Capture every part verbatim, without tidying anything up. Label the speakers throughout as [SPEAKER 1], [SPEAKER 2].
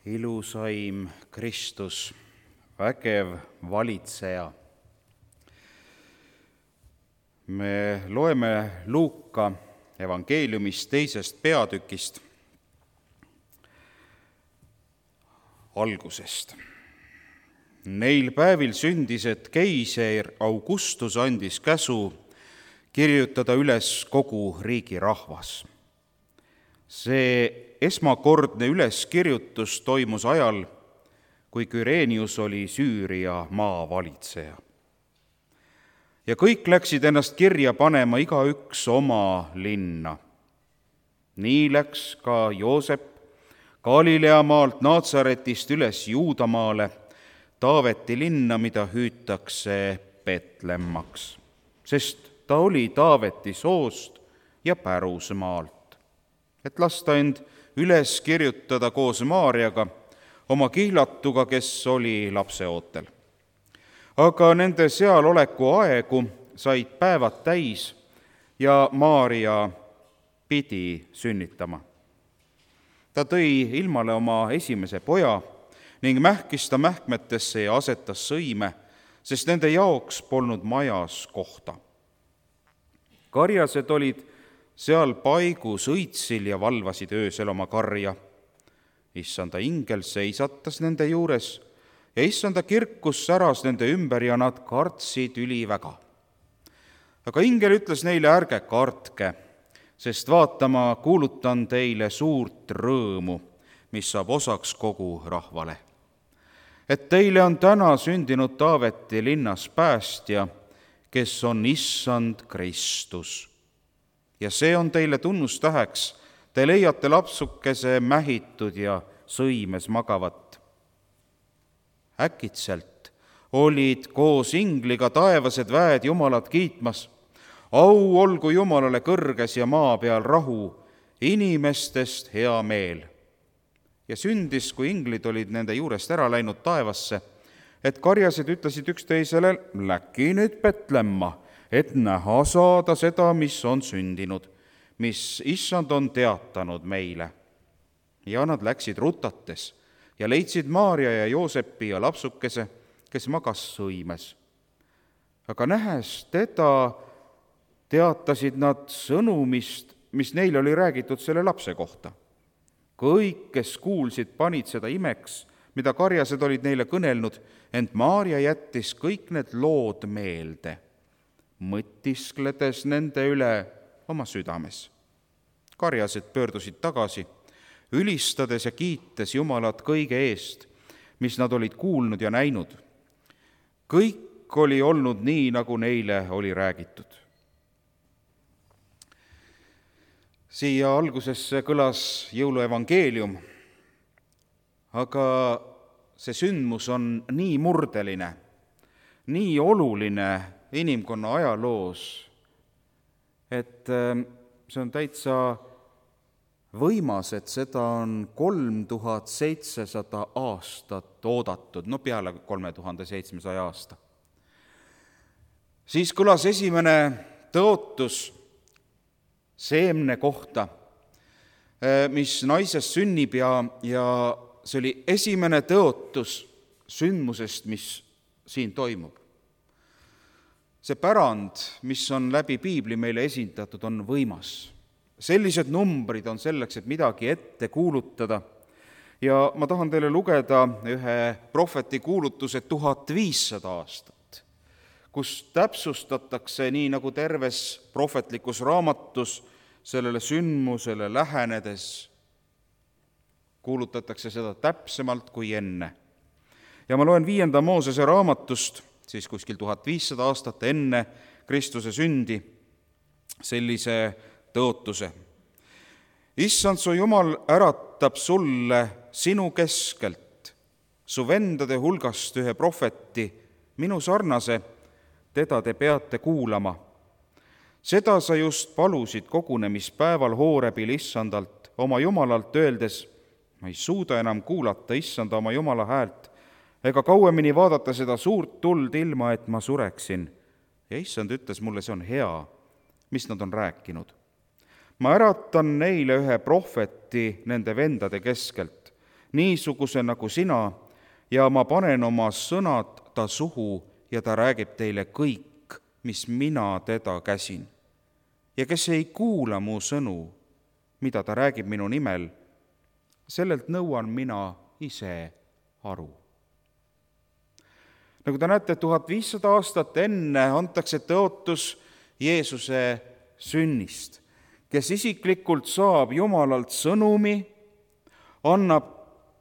[SPEAKER 1] ilusaim Kristus, vägev valitseja. Me loeme Luuka evangeeliumist teisest peatükist algusest. Neil päevil sündis, et keiser Augustus andis käsu kirjutada üles kogu riigi rahvas. See esmakordne üleskirjutus toimus ajal, kui Küreenius oli Süüria maavalitseja. Ja kõik läksid ennast kirja panema igaüks oma linna. Nii läks ka Joosep Galilea maalt Naatsaretist üles Juudamaale, Taaveti linna, mida hüütakse Betlemmaks, sest ta oli Taaveti soost ja pärusmaalt, et lasta end üles kirjutada koos Maarjaga, oma kihlatuga, kes oli lapseootel. Aga nende sealoleku aegu said päevad täis ja Maarja pidi sünnitama. Ta tõi ilmale oma esimese poja ning mähkis ta mähkmetesse ja asetas sõime, sest nende jaoks polnud majas kohta. Karjased olid seal paigus õitsil ja valvasid öösel oma karja. Issanda ingel seisatas nende juures ja issanda kirkus säras nende ümber ja nad kartsid üliväga. Aga ingel ütles neile, ärge kartke, sest vaata, ma kuulutan teile suurt rõõmu, mis saab osaks kogu rahvale. Et teile on täna sündinud Taaveti linnas päästja, kes on issand Kristus. Ja see on teile tunnustäheks, te leiate lapsukese mähitud ja sõimes magavat. Äkitselt olid koos ingliga taevased väed Jumalat kiitmas. Au olgu Jumalale kõrges ja maa peal rahu, inimestest hea meel. Ja sündis, kui inglid olid nende juurest ära läinud taevasse, et karjased ütlesid üksteisele, läki nüüd Betlemma, et näha saada seda, mis on sündinud, mis issand on teatanud meile. Ja nad läksid rutates ja leidsid Maarja ja Joosepi ja lapsukese, kes magas sõimes. Aga nähes teda, teatasid nad sõnumist, mis neile oli räägitud selle lapse kohta. Kõik, kes kuulsid, panid seda imeks, mida karjased olid neile kõnelnud, ent Maarja jättis kõik need lood meelde, mõtiskledes nende üle oma südames. Karjased pöördusid tagasi, ülistades ja kiites Jumalat kõige eest, mis nad olid kuulnud ja näinud. Kõik oli olnud nii, nagu neile oli räägitud. Siia algusesse kõlas jõuluevangeelium, aga see sündmus on nii murdeline, nii oluline inimkonna ajaloos, et see on täitsa võimas, et seda on kolm tuhat seitsesada aastat oodatud, no peale kolme tuhande seitsmesaja aasta. Siis kõlas esimene tõotus seemne kohta, mis naisest sünnib ja, ja see oli esimene tõotus sündmusest, mis siin toimub. See pärand, mis on läbi piibli meile esindatud, on võimas. Sellised numbrid on selleks, et midagi ette kuulutada. Ja ma tahan teile lugeda ühe prohveti kuulutuse tuhat viissada aastat, kus täpsustatakse nii nagu terves prohvetlikus raamatus sellele sündmusele lähenedes, kuulutatakse seda täpsemalt kui enne. Ja ma loen viienda Moosese raamatust, siis kuskil tuhat viissada aastat enne Kristuse sündi, sellise tõotuse. Issand, su Jumal äratab sulle sinu keskelt, su vendade hulgast ühe prohveti, minu sarnase, teda te peate kuulama. Seda sa just palusid kogunemispäeval Hoorebil issandalt, oma Jumalalt öeldes, ma ei suuda enam kuulata issanda oma Jumala häält, ega kauemini vaadata seda suurt tuld ilma, et ma sureksin. Ja issand ütles mulle, see on hea, mis nad on rääkinud. Ma äratan neile ühe prohveti nende vendade keskelt, niisuguse nagu sina, ja ma panen oma sõnad ta suhu ja ta räägib teile kõik, mis mina teda käsin. Ja kes ei kuula mu sõnu, mida ta räägib minu nimel, sellelt nõuan mina ise aru. Nagu te näete, tuhat viissada aastat enne antakse tõotus Jeesuse sünnist, kes isiklikult saab Jumalalt sõnumi, annab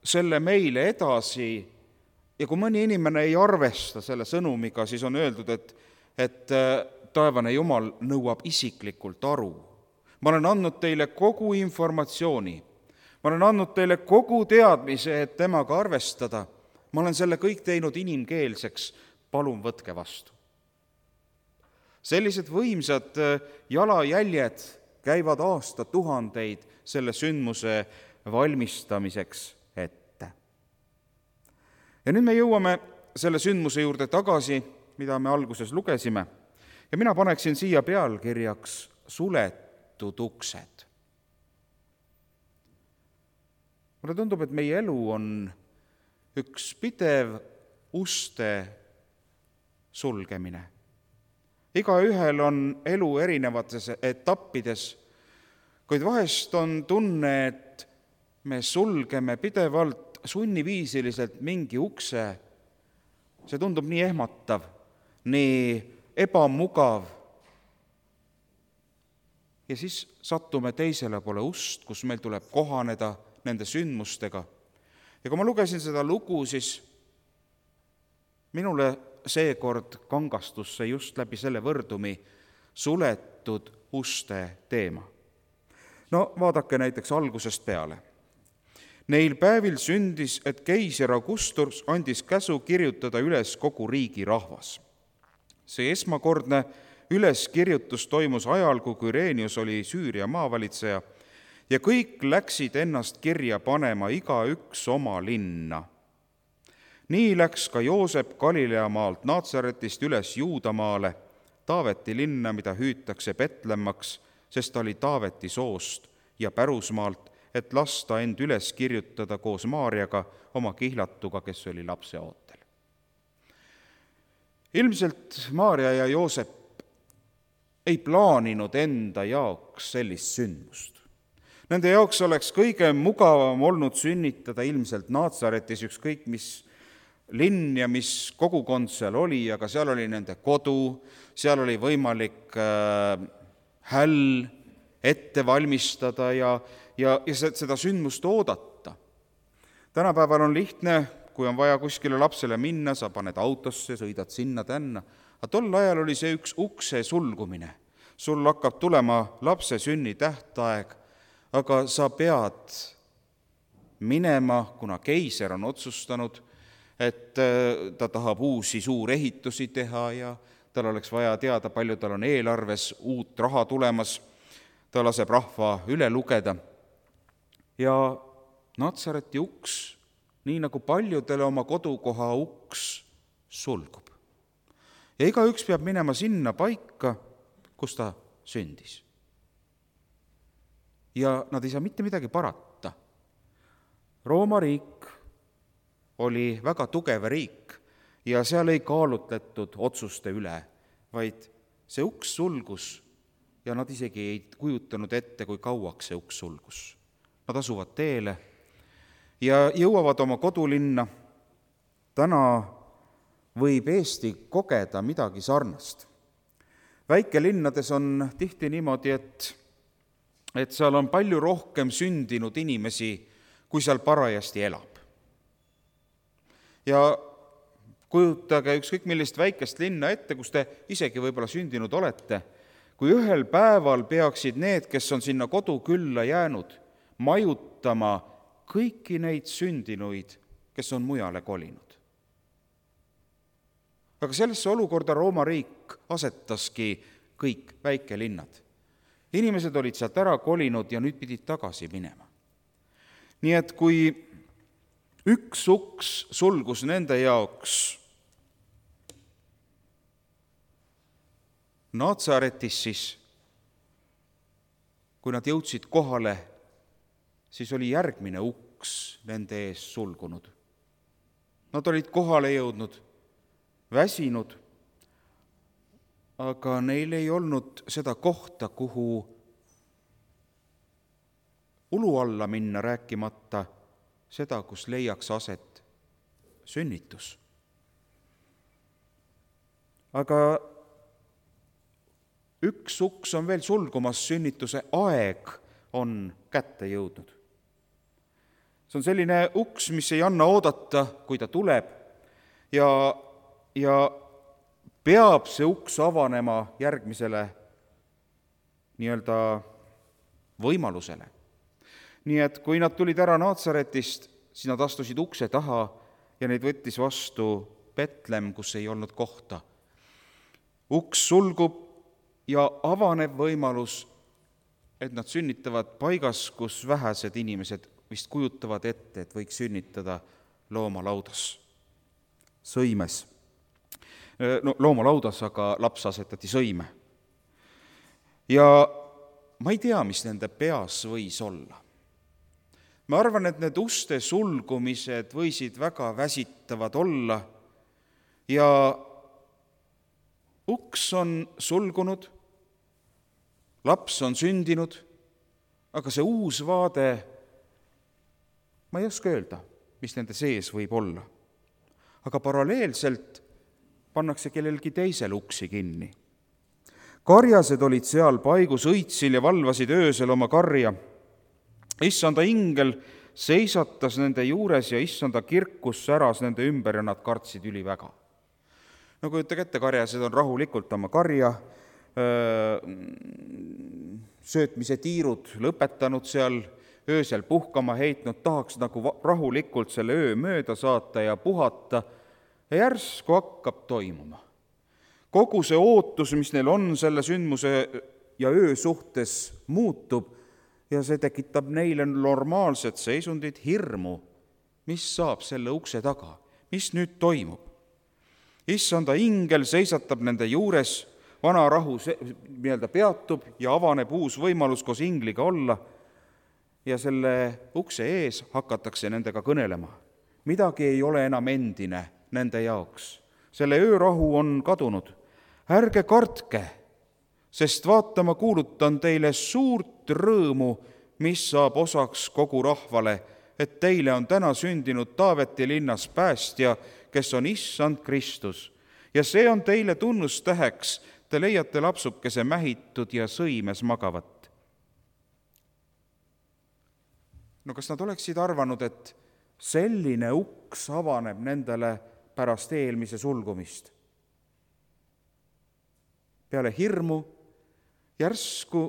[SPEAKER 1] selle meile edasi ja kui mõni inimene ei arvesta selle sõnumiga, siis on öeldud, et, et taevane Jumal nõuab isiklikult aru. Ma olen andnud teile kogu informatsiooni, ma olen andnud teile kogu teadmise, et temaga arvestada. Ma olen selle kõik teinud inimkeelseks, palun võtke vastu. Sellised võimsad jalajäljed käivad aastatuhandeid selle sündmuse valmistamiseks ette. Ja nüüd me jõuame selle sündmuse juurde tagasi, mida me alguses lugesime, ja mina paneksin siia pealkirjaks suletud uksed. Mulle tundub, et meie elu on üks pidev uste sulgemine. Igaühel on elu erinevates etappides, kuid vahest on tunne, et me sulgeme pidevalt sunniviisiliselt mingi ukse. See tundub nii ehmatav, nii ebamugav. Ja siis sattume teisele poole ust, kus meil tuleb kohaneda nende sündmustega. Ja kui ma lugesin seda lugu, siis minule seekord kangastus see just läbi selle võrdumi suletud uste teema. No vaadake näiteks algusest peale. Neil päevil sündis, et keiser Augustus andis käsu kirjutada üles kogu riigi rahvas. See esmakordne üleskirjutus toimus ajal, kui Quirinius oli Süüria maavalitseja, ja kõik läksid ennast kirja panema igaüks oma linna. Nii läks ka Joosep Galileamaalt Naatsaretist üles Juudamaale, Taaveti linna, mida hüütakse Betlemmaks, sest ta oli Taaveti soost ja pärusmaalt, et lasta end üles kirjutada koos Maarjaga, oma kihlatuga, kes oli lapse ootel. Ilmselt Maarja ja Joosep ei plaaninud enda jaoks sellist sündmust. Nende jaoks oleks kõige mugavam olnud sünnitada ilmselt Naatsaretis, ükskõik mis linn ja mis kogukond seal oli, aga seal oli nende kodu, seal oli võimalik äh, häll ette valmistada ja, ja, ja seda sündmust oodata. Tänapäeval on lihtne, kui on vaja kuskile lapsele minna, sa paned autosse, sõidad sinna tänna, aga tol ajal oli see üks ukse sulgumine. Sul hakkab tulema lapse sünni tähtaeg, aga sa pead minema, kuna keiser on otsustanud, et ta tahab uusi suurehitusi teha ja tal oleks vaja teada, palju tal on eelarves uut raha tulemas. Ta laseb rahva üle lugeda. Ja Natsareti uks, nii nagu paljudele oma kodukoha uks, sulgub. Ja igaüks peab minema sinna paika, kus ta sündis. Ja nad ei saa mitte midagi parata. Rooma riik oli väga tugev riik ja seal ei kaalutletud otsuste üle, vaid see uks sulgus ja nad isegi ei kujutanud ette, kui kauaks see uks sulgus. Nad asuvad teele ja jõuavad oma kodulinna. Täna võib Eesti kogeda midagi sarnast. Väikelinnades on tihti niimoodi, et et seal on palju rohkem sündinud inimesi, kui seal parajasti elab. Ja kujutage ükskõik millist väikest linna ette, kus te isegi võib-olla sündinud olete, kui ühel päeval peaksid need, kes on sinna kodukülla jäänud, majutama kõiki neid sündinuid, kes on mujale kolinud. Aga sellesse olukorda Rooma riik asetaski kõik väikelinnad. Inimesed olid sealt ära kolinud ja nüüd pidid tagasi minema. Nii et kui üks uks sulgus nende jaoks Naatsaretis, siis kui nad jõudsid kohale, siis oli järgmine uks nende ees sulgunud. Nad olid kohale jõudnud, väsinud, aga neil ei olnud seda kohta, kuhu ulu alla minna, rääkimata seda, kus leiaks aset sünnitus. Aga üks uks on veel sulgumas, sünnituse aeg on kätte jõudnud. See on selline uks, mis ei anna oodata, kui ta tuleb, ja, ja peab see uks avanema järgmisele nii-öelda võimalusele. Nii et kui nad tulid ära Naatsaretist, siis nad astusid ukse taha ja neid võttis vastu Betlem, kus ei olnud kohta. Uks sulgub ja avaneb võimalus, et nad sünnitavad paigas, kus vähesed inimesed vist kujutavad ette, et võiks sünnitada loomalaudas, sõimes. No, loomalaudas, aga laps asetati sõime. Ja ma ei tea, mis nende peas võis olla. Ma arvan, et need uste sulgumised võisid väga väsitavad olla ja uks on sulgunud, laps on sündinud, aga see uus vaade, ma ei oska öelda, mis nende sees võib olla. Aga paralleelselt pannakse kellelgi teisel uksi kinni. Karjased olid seal paigus õitsil ja valvasid öösel oma karja. Issanda ingel seisatas nende juures ja issanda kirkus säras nende ümber ja nad kartsid üliväga. No kujutage ette, karjased on rahulikult oma karja, söötmise tiirud lõpetanud seal, öösel puhkama heitnud, tahaks nagu rahulikult selle öö mööda saata ja puhata, ja järsku hakkab toimuma. Kogu see ootus, mis neil on selle sündmuse ja öö suhtes, muutub ja see tekitab neile normaalset seisundit, hirmu, mis saab selle ukse taga, mis nüüd toimub. Issanda ingel seisatab nende juures, vana rahu nii-öelda peatub ja avaneb uus võimalus koos ingliga olla ja selle ukse ees hakatakse nendega kõnelema. Midagi ei ole enam endine nende jaoks. Selle öörahu on kadunud. Ärge kartke, sest vaata, ma kuulutan teile suurt rõõmu, mis saab osaks kogu rahvale, et teile on täna sündinud Taaveti linnas päästja, kes on issand Kristus. Ja see on teile tunnustäheks, te leiate lapsukese mähitud ja sõimes magavat. No kas nad oleksid arvanud, et selline uks avaneb nendele pärast eelmise sulgumist? Peale hirmu järsku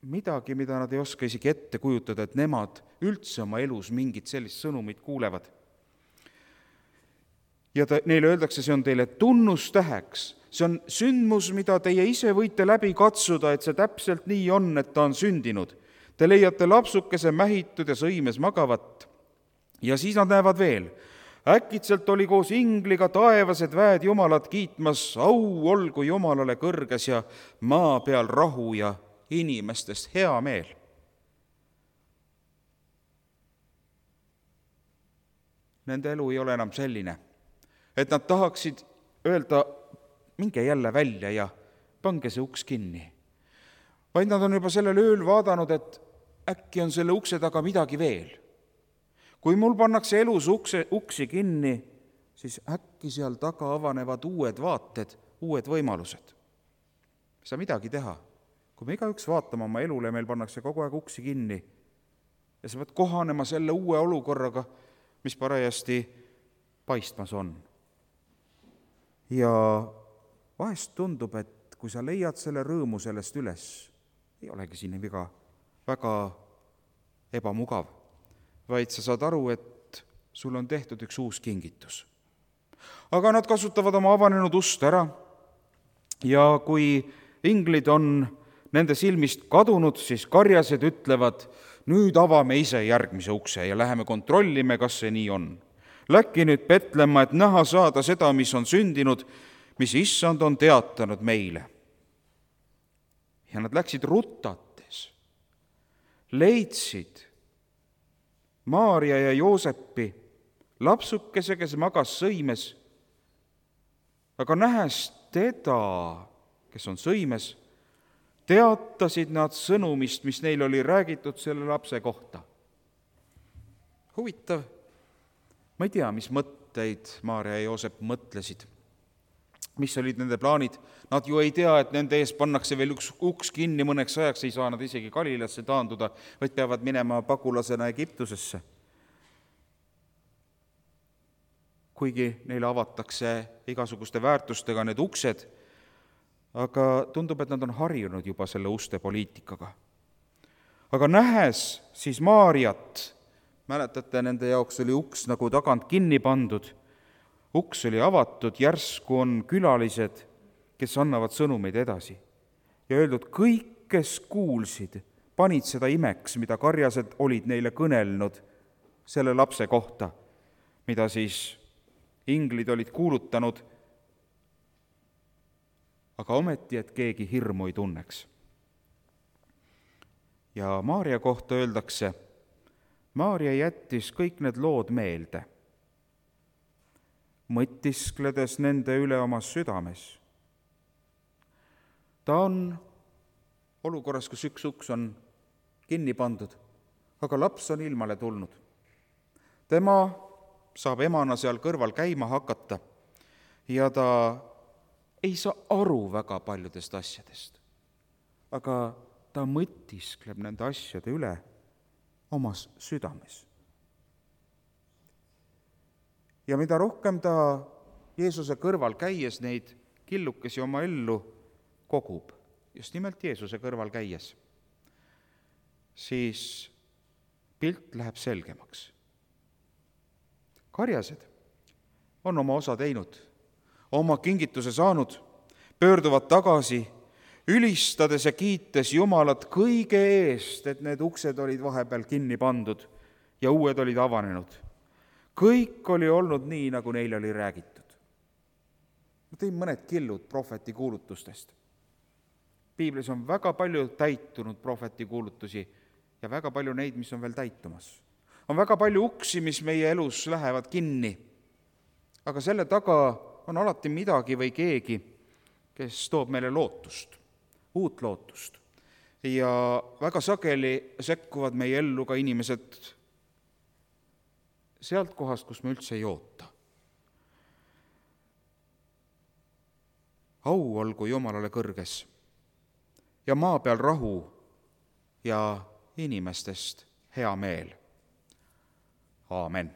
[SPEAKER 1] midagi, mida nad ei oska isegi ette kujutada, et nemad üldse oma elus mingit sellist sõnumit kuulevad. Ja ta, neile öeldakse, see on teile tunnustäheks. See on sündmus, mida teie ise võite läbi katsuda, et see täpselt nii on, et ta on sündinud. Te leiate lapsukese mähitud ja sõimes magavat. Ja siis nad näevad veel. Äkitselt oli koos ingliga taevased väed Jumalat kiitmas, au olgu Jumalale kõrges ja maa peal rahu ja inimestest hea meel. Nende elu ei ole enam selline, et nad tahaksid öelda, minge jälle välja ja pange see uks kinni. Vaid nad on juba sellel ööl vaadanud, et äkki on selle ukse taga midagi veel. Kui mul pannakse elus ukse, uksi kinni, siis äkki seal taga avanevad uued vaated, uued võimalused. Ei saa midagi teha. Kui me igaüks vaatame oma elule, meil pannakse kogu aeg uksi kinni ja sa pead kohanema selle uue olukorraga, mis parajasti paistmas on. Ja vahest tundub, et kui sa leiad selle rõõmu sellest üles, ei olegi siin väga, väga ebamugav, vaid sa saad aru, et sul on tehtud üks uus kingitus. Aga nad kasutavad oma avanenud ust ära ja kui inglid on nende silmist kadunud, siis karjased ütlevad, nüüd avame ise järgmise ukse ja läheme kontrollime, kas see nii on. Läkki nüüd Betlema, et näha saada seda, mis on sündinud, mis issand on teatanud meile. Ja nad läksid rutates, leidsid Maarja ja Joosepi, lapsukese, kes magas sõimes, aga nähes teda, kes on sõimes, teatasid nad sõnumist, mis neil oli räägitud selle lapse kohta. Huvitav, ma ei tea, mis mõtteid Maarja ja Joosep mõtlesid, mis olid nende plaanid. Nad ju ei tea, et nende ees pannakse veel üks uks kinni mõneks ajaks, ei saa nad isegi Galilasse taanduda, vaid peavad minema pagulasena Egiptusesse. Kuigi neile avatakse igasuguste väärtustega need uksed, aga tundub, et nad on harjunud juba selle uste poliitikaga. Aga nähes siis Maarjat, mäletate, nende jaoks oli uks nagu tagant kinni pandud, uks oli avatud, järsku on külalised, kes annavad sõnumeid edasi. Ja öeldud, kõik, kes kuulsid, panid seda imeks, mida karjased olid neile kõnelnud selle lapse kohta, mida siis inglid olid kuulutanud, aga ometi, et keegi hirmu ei tunneks. Ja Maarja kohta öeldakse, Maarja jättis kõik need lood meelde, mõtiskledes nende üle oma südames. Ta on olukorras, kus üks uks on kinni pandud, aga laps on ilmale tulnud. Tema saab emana seal kõrval käima hakata ja ta ei saa aru väga paljudest asjadest, aga ta mõtiskleb nende asjade üle omas südames. Ja mida rohkem ta Jeesuse kõrval käies neid killukesi oma ellu kogub, just nimelt Jeesuse kõrval käies, siis pilt läheb selgemaks. Karjased on oma osa teinud, oma kingituse saanud, pöörduvad tagasi, ülistades ja kiites Jumalat kõige eest, et need uksed olid vahepeal kinni pandud ja uued olid avanenud. Kõik oli olnud nii, nagu neile oli räägitud. Ma tõin mõned killud prohveti kuulutustest. Piiblis on väga palju täitunud prohveti kuulutusi ja väga palju neid, mis on veel täitumas. On väga palju uksi, mis meie elus lähevad kinni, aga selle taga on alati midagi või keegi, kes toob meile lootust, uut lootust. Ja väga sageli sekkuvad meie ellu ka inimesed sealt kohast, kus me üldse ei oota. Au olgu Jumalale kõrges ja maa peal rahu ja inimestest hea meel. Aamen.